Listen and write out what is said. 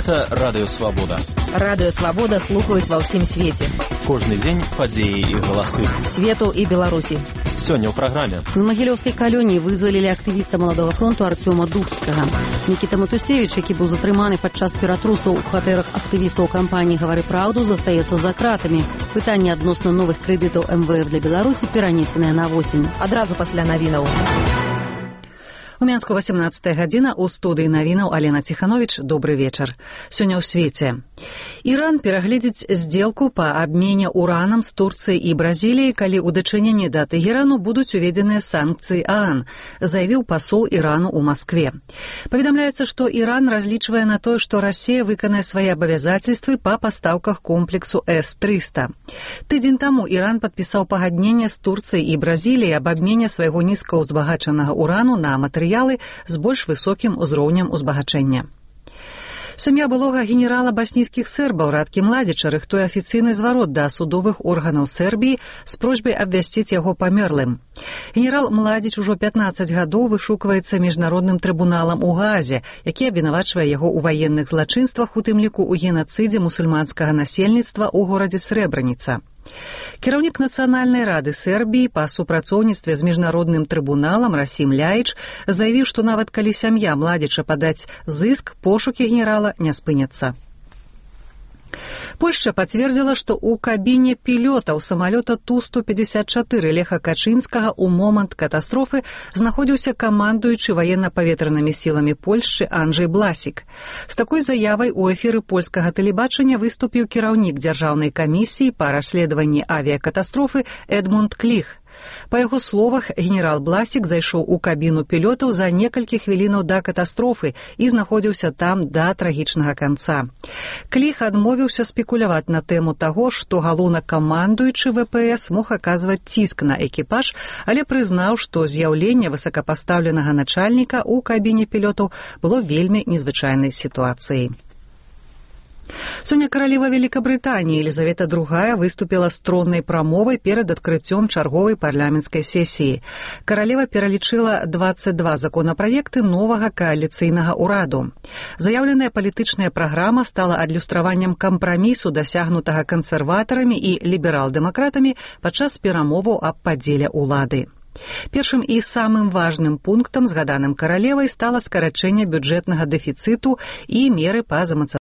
Гэта Радыё Свабода. Радыё Свабода слухаюць ва ўсім свеце. Кожны дзень падзеі і галасы. Свету і Беларусі. Сёння ў праграме. З магілёўскай калоніі вызвалілі актывіста Маладога фронту Артёма Дубскага. Мікіта Матусевіч, які быў затрыманы падчас ператрусаў у кватэрах актывістаў кампаніі «Гавары праўду», застаецца за кратамі. Пытанне адносна новых крэдытаў МВФ для Беларусі перанесенае на восень. Адразу пасля навінаў. У Мінску 18 гадзіна, у студыі навінаў Алена Ціхановіч. Добры вечар. Сёння ў свеце. Іран перагледзіць здзелку па абмене уранам з Турцыяй і Бразіліяй, калі ў дачыненні да Тэгэрану будуць уведзеныя санкцыі ААН, заявіў пасол Ірану ў Маскве. Паведамляецца, што Іран разлічвае на тое, што Расія выканае свае абавязацельствы па пастаўках комплексу С-300. Тыдзень таму Іран падпісаў пагадненне з Турцыяй і Бразіліяй аб абмене свайго нізкаўзбагачанага урану на матэрыялы з больш высокім узроўнем узбагачэння. Сям'я былога генерала баснійскіх сербаў Радкі Младзіча рыхтуе афіцыйны зварот да судовых органаў Сербіі з просьбай абвясціць яго памерлым. Генерал Младзіч ужо 15 гадоў вышукваецца міжнародным трыбуналам у Гаазе, які абвінавачвае яго ў ваенных злачынствах, у тым ліку ў генацыдзе мусульманскага насельніцтва ў горадзе Срэбраніца. Кіраўнік Нацыянальнай рады Сербіі па супрацоўніцтве з міжнародным трыбуналам Расім Ляіч заявіў, што нават калі сям'я Младзіча падаць зыск, пошукі генерала не спыняцца. Польшча пацвердзіла, што ў кабіне пілётаў самалёта Ту-154 Леха Качынскага ў момант катастрофы знаходзіўся камандуючы ваенна-паветранымі сіламі Польшчы Анджэй Бласік. З такой заявай у эфіры польскага тэлебачання выступіў кіраўнік дзяржаўнай камісіі па расследаванні авіякатастрофы Эдмунд Кліх. Па яго словах, генерал Бласік зайшоў у кабіну пілётаў за некалькі хвілінаў да катастрофы і знаходзіўся там да трагічнага канца. Кліх адмовіўся спекуляваць на тэму таго, што галоўнакамандуючы ВПС мог аказваць ціск на экіпаж, але прызнаў, што з'яўленне высокапастаўленага начальніка ў кабіне пілётаў было вельмі незвычайнай сітуацыяй. Сёння каралева Великабрытаніі Елізавета II выступіла з троннай прамовай перад адкрыццём чарговай парламенцкай сесіі. Каралева пералічыла 22 законапраекты новага кааліцыйнага ўраду. Заяўленая палітычная праграма стала адлюстраваннем кампрамісу, дасягнутага кансерватарамі і ліберал-дэмакратамі падчас перамоваў аб падзеле ўлады. Першым і самым важным пунктам, згаданым каралевай, стала скарачэнне бюджэтнага дэфіцыту і меры па замацаванню